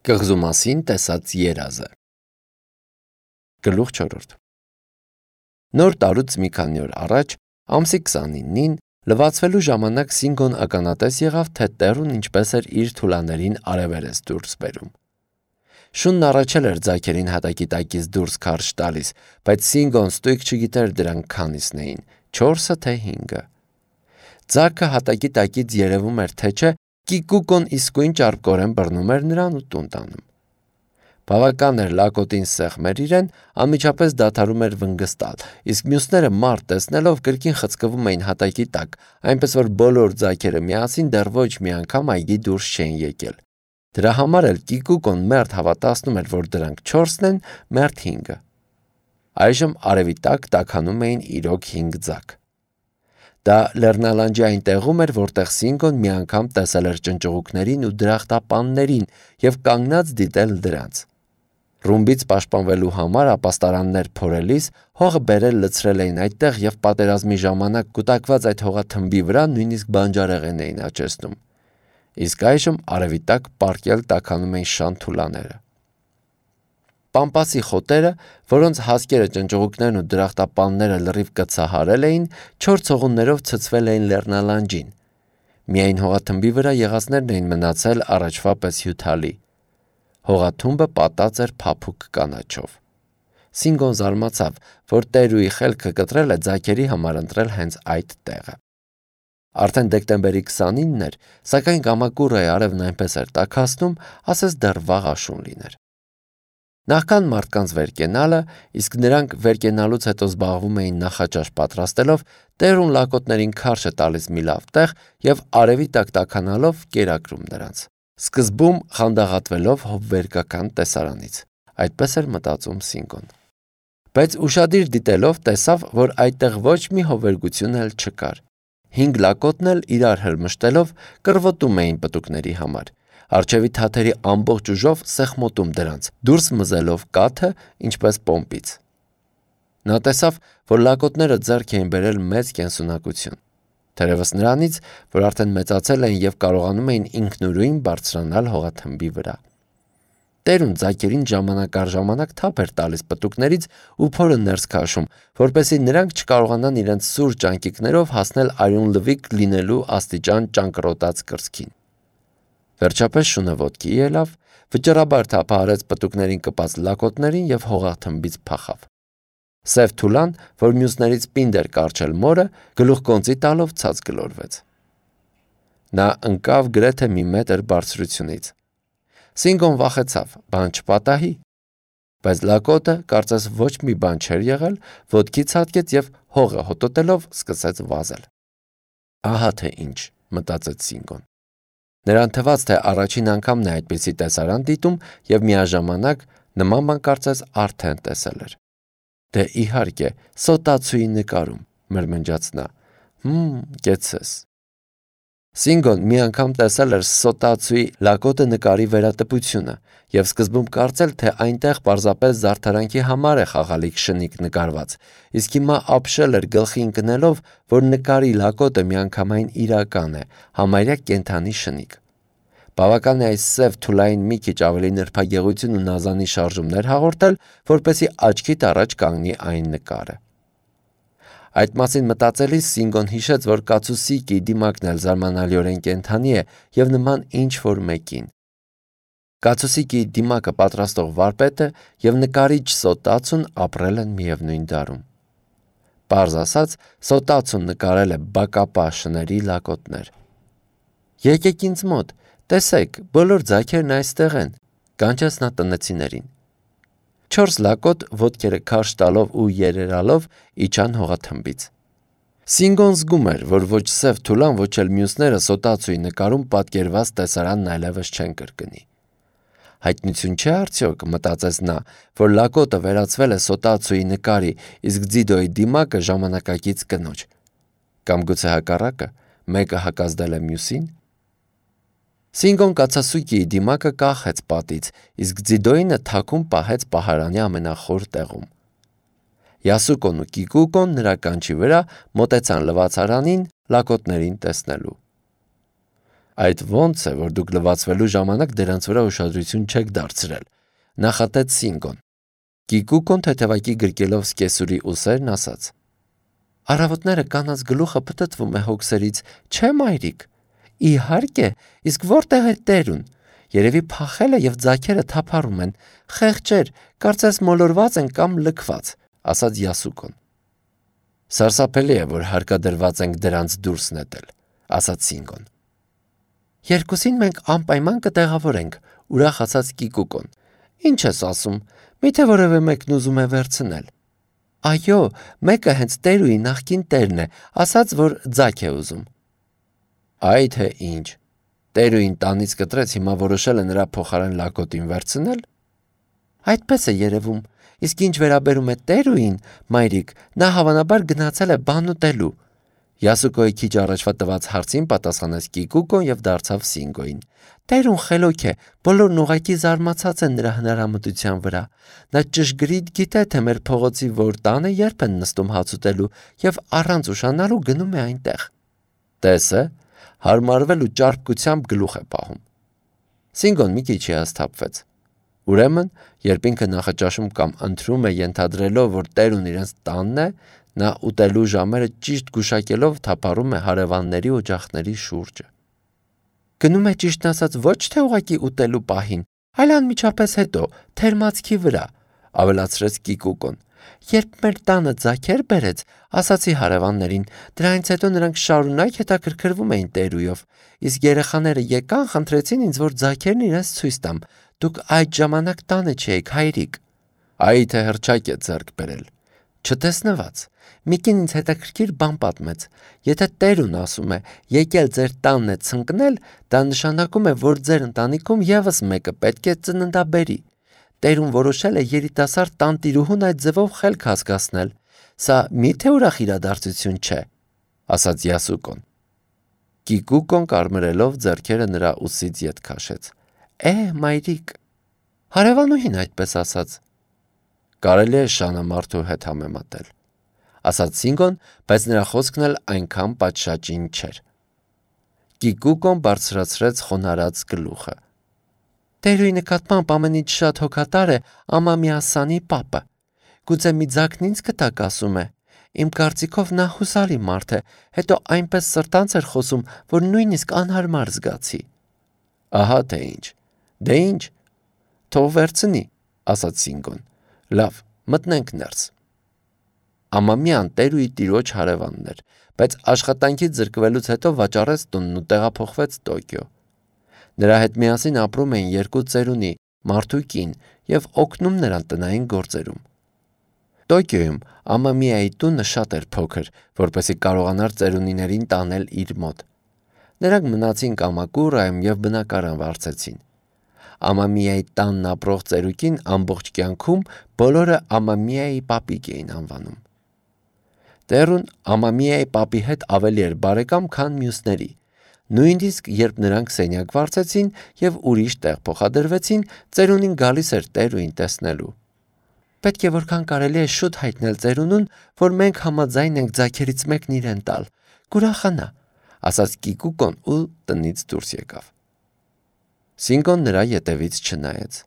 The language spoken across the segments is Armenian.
Կղզու մասին տեսած երազը։ Գլուխ 4 Նոր տարուց մի քանի օր առաջ, ամսի 29-ին, լվացվելու ժամանակ Սինգոն ականատես եղավ, թե Տերուն ինչպես էր իր թուլաներին արևերես դուրս բերում։ Շունն առաջել էր ձագերին հատակի տակից դուրս քարշ տալիս, բայց Սինգոն ստույգ չգիտեր դրանք քանիսն էին, 4-ը թե 5-ը։ Ձագը հատակի տակից երևում էր թե չէ, Կիկուկոն իսկույն ճարպկորեն բռնում էր նրան ու տուն տանում։ Բավական էր լակոտին սեղմեր իրեն, անմիջապես դադարում էր վնգստալ, իսկ մյուսները մարդ տեսնելով կրկին խցկվում էին հատակի տակ, այնպես որ բոլոր ձագերը միասին դեռ ոչ մի անգամ այգի դուրս չէին եկել։ Դրա համար էլ Կիկուկոն մերթ հավատացնում էր, որ դրանք 4-ն են, մերթ 5-ը։ Այժմ արևի տակ տաքանում էին իրոք 5 ձագ։ Դա Լեռնալանջի այն տեղում էր, որտեղ Սինգոն մի անգամ տեսել էր ճնճղուկներին ու դրախտապաններին և կանգնած դիտել դրանց։ Ռումբից պաշտպանվելու համար ապաստարաններ փորելիս հողը բերել լցրել էին այդտեղ և պատերազմի ժամանակ կուտակված այդ հողաթմբի վրա նույնիսկ բանջարեղեն էին աճեցնում։ Իսկ այժմ արևի տակ պառկել տաքանում էին շան թուլաները։ Պամպասի խոտերը, որոնց հասկերը ճնճղուկներն ու դրախտապանները լրիվ կցահարել էին, 4 ցողուններով ցցվել էին Լեռնալանջին։ Միայն հողաթմբի վրա եղածներն էին մնացել առաջվա պես հյութալի։ Հողաթումբը պատած էր փափուկ կանաչով։ Սինգոն զարմացավ, որ Տերուի խելքը կտրել է ձագերի համար ընտրել հենց այդ տեղը։ Արդեն դեկտեմբերի 29-ն էր, սակայն կամակուռայի արևն այնպես էր տաքացնում, ասես դեռ վաղ աշուն լիներ։ Նախքան մարդկանց վեր կենալը, իսկ նրանք վեր կենալուց հետո զբաղվում էին նախաճաշ պատրաստելով, Տերուն լակոտներին քարշ է տալիս մի լավ տեղ և արևի տակ տաքանալով կերակրում նրանց։ Սկզբում խանդաղատվելով հովվերկական տեսարանից։ Այդպես էր մտածում Սինգոն։ Բայց ուշադիր դիտելով տեսավ, որ այդտեղ ոչ մի հովվերկություն էլ չկար։ 5 լակոտն էլ իրար հրմշտելով կռվոտում էին պտուկների համար։ Արջևի թաթերի ամբողջ ուժով սեղմոտում դրանց, դուրս մզելով կաթը, ինչպես պոմպից։ Նա տեսավ, որ լակոտները ձեռք էին բերել մեծ կենսունակություն։ Թերևս նրանից, որ արդեն մեծացել էին և կարողանում էին ինքնուրույն բարձրանալ հողաթմբի վրա։ Տերուն ձագերին ժամանակ առ ժամանակ թափ էր տալիս պտուկներից ու փորը ներս քաշում, որպեսզի նրանք չկարողանան իրենց սուր ճանկիկներով հասնել արյունլվիկ լինելու աստիճան ճանկռոտած կրծքին։ Վերջապես շունը ոտքի ելավ, վճռաբար թափահարեց պտուկներին կպած լակոտներին և հողաթմբից փախավ։ Սև թուլան, որ մյուսներից պինդ էր կառչել մորը, գլուխկոնծի տալով ցած գլորվեց։ Նա ընկավ գրեթե մի մետր բարձրությունից։ Սինգոն վախեցավ, բան չպատահի։ Բայց լակոտը կարծես ոչ մի բան չէր եղել, ոտքի ցատկեց և հողը հոտոտելով սկսեց վազել։ Ահա թե ինչ, մտածեց Սինգոն։ Նրան թվաց, թե առաջին անգամն է այդպիսի տեսարան դիտում և միաժամանակ նման բան կարծես արդեն տեսել էր։ Դե իհարկե, Սոտացուի նկարում, մրմնջաց նա։ Կեցես։ Սինգոն մի անգամ տեսել էր Սոտացուի լակոտը նկարի վերատպությունը և սկզբում կարծել, թե այնտեղ պարզապես զարդարանքի համար է խաղալիք շնիկ նկարված, իսկ հիմա ապշել էր գլխի ընկնելով, որ նկարի լակոտը միանգամայն իրական է, համարյա կենդանի շնիկ։ Բավական է այս սև թուլային մի քիչ ավելի նրբագեղություն ու նազանի շարժումներ հաղորդել, որպեսզի աչքիդ առաջ կանգնի այն նկարը։ Այդ մասին մտածելիս Սինգոն հիշեց, որ կացուսիկի դիմակն էլ զարմանալիորեն կենդանի է և նման ինչ-որ մեկին։ Կացուսիկի դիմակը պատրաստող վարպետը և նկարիչ Սոտացուն ապրել են միևնույն դարում։ Պարզ ասած, Սոտացուն նկարել է բակապա շների լակոտներ։ Եկեք ինձ մոտ, տեսեք, բոլոր ձագերն այստեղ են, կանչեց նա տնեցիներին։ 4 լակոտ ոտքերը քարշ տալով ու երերալով իջան հողաթմբից։ Սինգոն զգում էր, որ ոչ սև թուլան, ոչ էլ մյուսները Սոտացուի նկարում պատկերված տեսարանն այլևս չեն կրկնի։ Հայտնություն չէ արդյոք, մտածեց նա, որ լակոտը վերածվել է Սոտացուի նկարի, իսկ Ձիդոյի դիմակը ժամանակակից կնոջ։ Կամ գուցե հակառակը, մեկը հակազդել է մյուսին։ Սինգոն կացասուկիի դիմակը կախեց պատից, իսկ Ձիդոյինը թաքուն պահեց պահարանի ամենախոր տեղում։ Յասուկոն ու Կիկուկոն նրա կանչի վրա մոտեցան լվացարանին լակոտներին տեսնելու։ Այդ ոնց է, որ դուք լվացվելու ժամանակ դրանց վրա ուշադրություն չեք դարձրել, նախատեց Սինգոն։ Կիկուկոն թեթևակի գրկելով սկեսուրի ուսերն ասաց. Առավոտները կանանց գլուխը պտտվում է հոգսերից, չէ մայրիկ։ Իհարկե, իսկ որտեղ է տերուն։ Երևի փախել է եւ ձագերը թափառում են։ Խեղճեր, կարծես մոլորված են կամ լքված, ասաց Յասուկոն։ Սարսափելի է, որ հարկադրված ենք դրանց դուրս նետել, ասաց Սինգոն։ Երկուսին մենք անպայման կտեղավորենք, ուրախացած Կիկուկոն։ Ինչ ես ասում, միթե որևէ մեկն ուզում է վերցնել։ Այո, մեկը հենց տերուի նախկին տերն է, ասաց, որ ձագ է ուզում։ Այ թե ինչ։ Տերուին տանից կտրեց, հիմա որոշել է նրա փոխարեն լակոտին վերցնել։ Այդպես է երևում, իսկ ինչ վերաբերում է տերուին, մայրիկ, նա հավանաբար գնացել է բան ուտելու։ Յասուկոյի քիչ առաջվա տված հարցին պատասխանեց Կիկուկոն եւ դարձավ Սինգոյին։ Տերուն խելոք է, բոլորն ուղղակի զարմացած են նրա հնարամտության վրա։ Նա ճշգրիտ գիտե, թե մեր փողոցի որ տանը երբ են նստում հաց ուտելու եւ առանց ուշանալու գնում է այնտեղ։ Տեսը, հարմարվել ու ճարպկությամբ գլուխ է պահում։ Սինգոն մի քիչ հիասթափվեց։ Ուրեմն, երբ ինքը նախաճաշում կամ ընթրում է ենթադրելով, որ տերուն իրենց տանն է, նա ուտելու ժամերը ճիշտ գուշակելով թափառում է հարևանների օջախների շուրջը։ Գնում է ճիշտն ասած ոչ թե ուղղակի ուտելու պահին, այլ անմիջապես հետո, թերմացքի վրա, ավելացրեց Կիկուկոն։ Երբ մեր տանը ձագեր բերեց, ասացի հարևաններին, դրանից հետո նրանք շարունակ հետաքրքրվում էին տերույով, իսկ երեխաները եկան, խնդրեցին ինձ, որ ձագերն իրենց ցույց տամ։ Դուք այդ ժամանակ տանը չէիք, հայրիկ։ Այ թե հրճակ է ձեռք բերել։ Չտեսնված։ Միկին ինձ հետաքրքիր բան պատմեց։ Եթե տերուն ասում է, եկել ձեր տանն է ցնկնել, դա նշանակում է, որ ձեր ընտանիքում եւս մեկը պետք է ծննդաբերի։ Տերուն որոշել է երիտասարդ տանտիրուհուն այդ ձևով խելք հասկացնել։ Սա միթե ուրախ իրադարձություն չէ, ասաց Յասուկոն։ Կիկուկոն կարմրելով ձեռքերը նրա ուսից ետ քաշեց։ Մայրիկ։ Հարևանուհին այդպես ասաց։ Կարելի է շանը մարդու հետ համեմատել, ասաց Սինգոն, բայց նրա խոսքն էլ այնքան պատշաճին չէր։ Կիկուկոն բարձրացրեց խոնարհած գլուխը։ Տերուի նկատմամբ ամեն ինչ շատ հոգատար է Ամամիասանի պապը։ Գուցե մի ձագն ինձ կտակ ասում է։ Իմ կարծիքով նա հուսալի մարդ է, հետո այնպես սրտանց էր խոսում, որ նույնիսկ անհարմար զգացի։ Ահա թե ինչ։ Դե ինչ։ Թող վերցնի, ասաց Սինգոն։ Լավ, մտնենք ներս։ Ամամյան տերուի տիրոջ հարևանն էր, բայց աշխատանքից զրկվելուց հետո վաճառեց տունն ու տեղափոխվեց Տոկիո։ Նրա հետ միասին ապրում էին երկու ծերունի, մարդ ու կին, եւ օգնում նրան տնային գործերում։ Տոկիոյում Ամամիայի տունը շատ էր փոքր, որպեսզի կարողանար ծերունիներին տանել իր մոտ։ Նրանք մնացին Կամակուրայում եւ բնակարան վարձեցին։ Ամամիայի տանն ապրող ծերուկին ամբողջ կյանքում բոլորը Ամամիայի պապիկ էին անվանում։ Տերուն Ամամիայի պապի հետ ավելի էր բարեկամ, քան մյուսների։ Նույնիսկ երբ նրանք սենյակ վարձեցին եւ ուրիշ տեղ փոխադրվեցին, ծերունին գալիս էր տերուին տեսնելու։ Պետք է որքան կարելի է շուտ հայտնել ծերունուն, որ մենք համաձայն ենք ձագերից մեկն իրեն տալ։ Կուրախանա, ասաց Կիկուկոն ու տնից դուրս եկավ։ Սինգոն նրա ետևից չնայեց։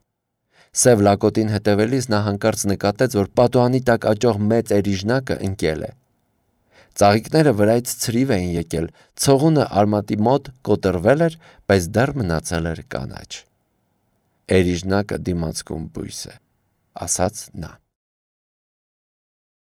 Սև լակոտին հետևելիս նա հանկարծ նկատեց, որ պատուհանի տակ աճող մեծ էրիժնակը ընկել է։ Ծաղիկները վրայից ցրիվ էին եկել, ցողունը արմատի մոտ կոտրվել էր, բայց դեռ մնացել էր կանաչ։ Էրիժնակը դիմացկուն բույս է, ասաց նա։